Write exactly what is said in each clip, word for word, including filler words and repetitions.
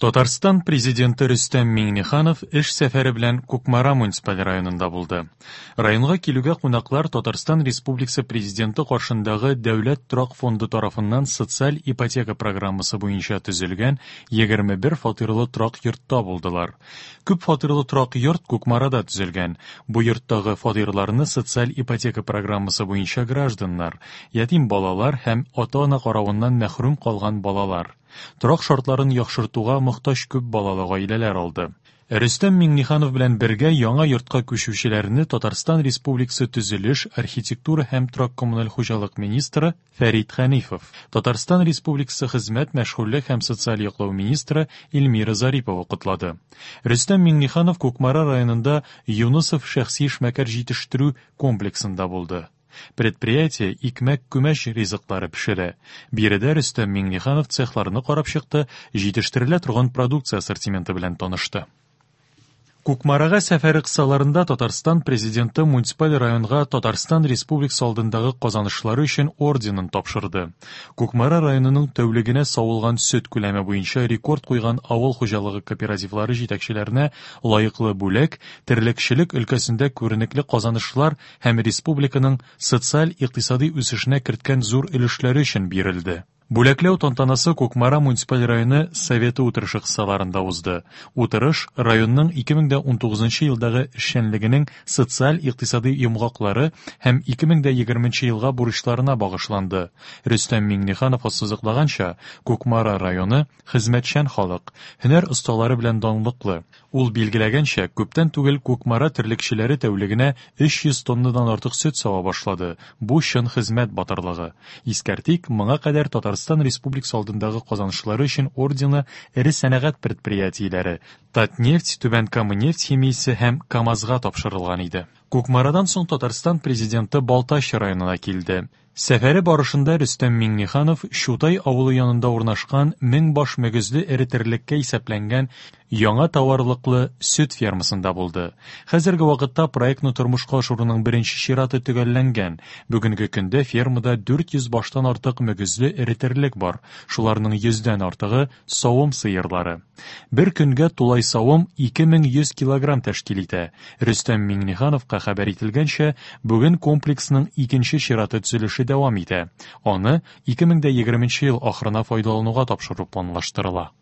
Татарстан Президенты Рөстәм Миңнеханов эш сәфәре белән Кукмара муниципаль районында булды. Районга килүгә кунаклар Татарстан Республикасы Президенты каршындагы Дәүләт торак фонды тарафыннан социаль ипотека программасы буенча төзелгән егерме бер фатирлы торак йортта булдылар. Күп фатирлы торак йорт Кукмарада төзелгән. Бу йорттагы фатирларны социаль ипотека программасы буенча гражданнар, ятим балалар һәм ата-ана каравыннан мәхрүм калган балалар, торак шартларын яхшыртуга мохтаҗ күп балалы гаиләләр алды. Рөстәм Миңнеханов белән бергә яңа йортка күчүчеләрне Татарстан Республикасы төзелеш, архитектура һәм торак-коммуналь хуҗалык министры Фәрит Хәнифов, Татарстан Республикасы хезмәт, мәшгульлек һәм социаль яклау министры Эльмира Зарипова котлады. Рөстәм Миңнеханов Кукмара районында Юнысов шәхси эшмәкәр җитештерү комплексында булды. Предприятие икмәк күмәч ризыклары пешерә. Биредә Рөстәм Миңнеханов цехларны карап чыкты, җитештерелә торган продукция ассортименты белән танышты. Кукмарага сәфәре кысаларында Татарстан Президенты муниципаль районга Татарстан Республикасы алдындагы казанышлары өчен орденын тапшырды. Кукмара районының тәүлегенә савылган сөт күләме буенча рекорд куйган авыл хуҗалыгы кооперативлары җитәкчеләренә лаеклы бүләк, терлекчелек өлкәсендә күренекле казанышлар һәм республиканың социаль-икътисади үсешенә керткән зур өлешләре өчен бирелде. Бүләкләү тантанасы Кукмара муниципаль районы Советы утырышы кысаларында узды. Утырыш районның ике мең дә унтугызынчы елдагы эшчәнлегенең социаль-икътисади йомгаклары һәм ике мең дә егерменче елга бурычларына багышланды. Рөстәм Миңнеханов ассызыклаганча, Кукмара районы хезмәтчән халык, һөнәр осталары белән данлыклы. Ул билгеләгәнчә, күптән түгел Кукмара терлекчеләре тәүлегенә өч йөз тоннадан артык сөт сава башлады. Бу чын хезмәт батырлыгы. Искәртик, моңа кадәр Татарстан Республикасы алдындагы казанышлары өчен ордены эре сәнәгать предприятиеләре Татнефть, Түбән Кама нефть химиясе һәм КАМАЗга тапшырылган иде. Кукмарадан соң Татарстан Президенты Балтач районына килде. Сәфәре барышында Рөстәм Миңнеханов Чутай авылы янында урнашкан мең баш мөгезле эре терлеккә исәпләнгән яңа товарлыклы сөт фермасында булды. Хәзерге вакытта проектны тормышка ашыруның беренче чираты төгәлләнгән. Бүгенге көндә фермада дүрт йөз баштан артык мөгезле эре терлек бар. Шуларның йөздән артыгы савым сыерлары. Бер көнгә тулай савым ике мең йөз килограмм тәшкил итә. Рөстәм Миңнехановка хәбәр ителгәнчә, бүген комплексның икенче чираты төзелеше дәвам итә. Аны ике мең дә егерменче ел ахырына файдалануга тапшыру планлаштырыла.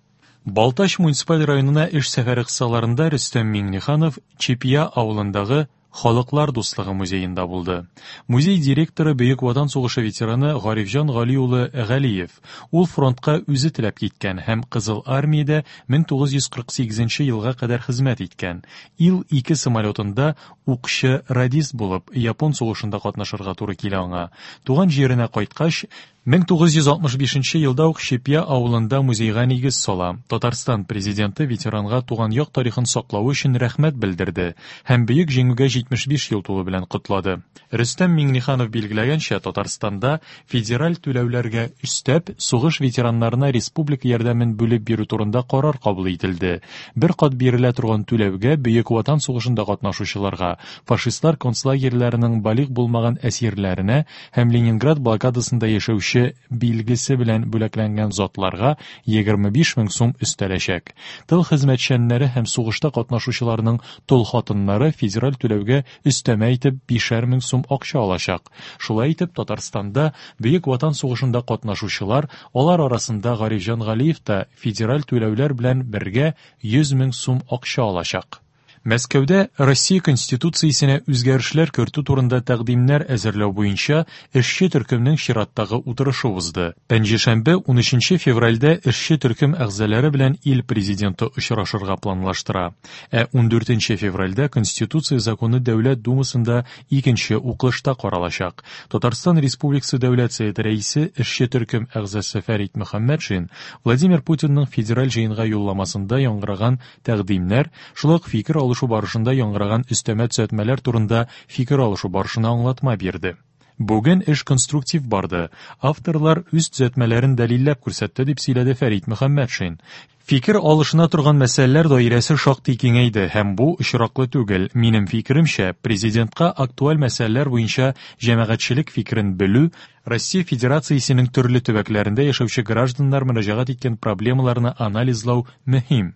Балтач муниципаль районына эш сәфәре кысаларында Рөстәм Миңнеханов Чепья авылындагы Халыклар дуслыгы музеенда булды. Музей директоры Бөек Ватан сугышы ветераны Гарифҗан Гали улы Галиев. Ул фронтка үзе теләп киткән һәм Кызыл армиядә мең тугыз йөз кырык сигезенче елга кадәр хезмәт иткән. Ил ике самолетында укчы радист булып Япон сугышында катнашырга туры килә аңа. Туган җиренә кайткач, мең тугыз йөз алтмыш бишенче елда ук Чепья авылында музейга нигез сала. Татарстан президенты ветеранга туган як тарихын саклау өчен рәхмәт белдерде һәм Бөек Җиңүгә җитмеш биш ел тулу белән котлады. Рөстәм Миңнеханов билгеләгәнчә, Татарстанда федераль түләүләргә өстәп, сугыш ветераннарына республика ярдәмен бүлеп бирү турында карар кабул ителде. Бер кат бирелә торган түләүгә Бөек Ватан сугышында катнашучыларга, фашистлар концлагерьләренең балигъ булмаган әсирләренә һәм Ленинград блокадасында яшәүче билгесе белән бүләкләнгән затларга егерме биш мең сум өстәләчәк. Тыл хезмәтчәннәре һәм сугышта катнашучыларның тол хатыннары федераль түләүгә өстәмә итеп бишәр мең сум акча алачак. Шулай итеп, Татарстанда Бөек Ватан сугышында катнашучылар, алар арасында Гарифҗан Галиев та федераль түләүләр белән бергә йөз мең сум акча алачак. Мәскәүдә Россия Конституциясенә үзгәрешләр кертү турында тәкъдимнәр әзерләү буенча эшче төркемнең чираттагы утырышы узды. Пәнҗешәмбе унөченче февральдә эшче төркем әгъзалары белән ил президенты очрашырга планлаштыра. Ә ундүртенче февральдә Конституция законы Дәүләт Думасында икенче укылышта каралачак. Татарстан Республикасы Дәүләт Советы рәисе эшче төркем әгъзасы Фәрит Мөхәммәтшин Владимир Путинның федераль җыенга юлламасында яңгыраган тәкъдимнәр, шулай ук фикер алышу барышында яңгыраган өстәмә төзәтмәләр турында фикер алышу барышына аңлатма бирде. Бүген эш конструктив барды. Авторлар үз төзәтмәләрен дәлилләп күрсәтте, дип сөйләде Фәрит Мөхәммәтшин. Фикер алышына торган мәсьәләләр даирәсе шактый киңәйде һәм бу очраклы түгел. Минем фикеремчә, президентка актуаль мәсьәләләр буенча җәмәгатьчелек фикерен белү, Россия Федерациясенең төрле төбәкләрендә яшәүче гражданнар мөрәҗәгать иткән проблемаларны анализлау мөһим.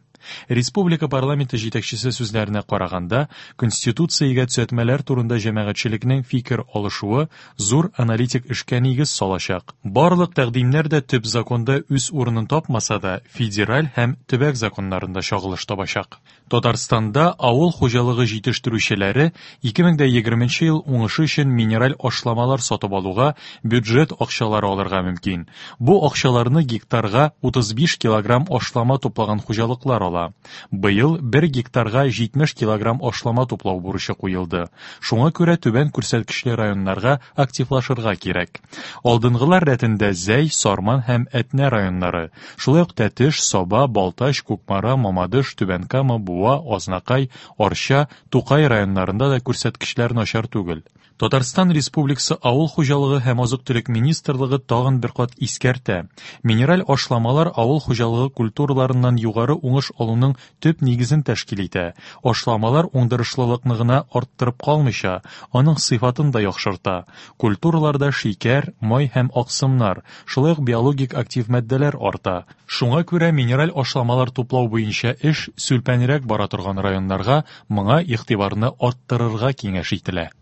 Республика парламенты җитәкчесе сүзләренә караганда, Конституциягә төзәтмәләр турында җәмәгатьчелекнең фикер алышуы зур аналитик эшкә нигез салачак. Барлык тәкъдимнәр дә төп законда үз урынын тапмаса да, федераль һәм төбәк законнарында чагылыш табачак. Татарстанда авыл хуҗалыгы җитештерүчеләре ике мең дә егерменче ел уңышы өчен минераль ашламалар сатып алуга бюджет акчалары алырга мөмкин. Бу акчаларны гектарга утыз биш килограмм ашлама туплаган хуҗалыклар ала. Быел бер гектарга җитмеш килограмм ашлама туплау бурычы куелды. Шуңа күрә түбән күрсәткечле районнарга активлашырга кирәк. Алдынгылар рәтендә Зәй, Сарман һәм Әтнә районнары, шулай ук Тәтеш, Саба, Балтач, Кукмара, Мамадыш, Түбән Кама, Буа, Азнакай, Арча, Тукай районнарында да күрсәткечләр начар түгел. Татарстан Республикасы Авыл хуҗалыгы һәм азык-төлек министрлыгы тагын бер кат искәртә. Минераль ашламалар авыл хуҗалыгы культураларыннан югары уңыш алуның төп нигезен тәшкил итә. Ашламалар уңдырышлылыкны гына арттырып калмыйча, аның сыйфатын да яхшырта. Культураларда шикәр, май һәм аксымнар, шулай ук биологик актив матдәләр арта. Шуңа күрә минераль ашламалар туплау буенча эш сүлпәнрәк бара торган районнарга моңа игътибарны арттырырга киңәш ителә.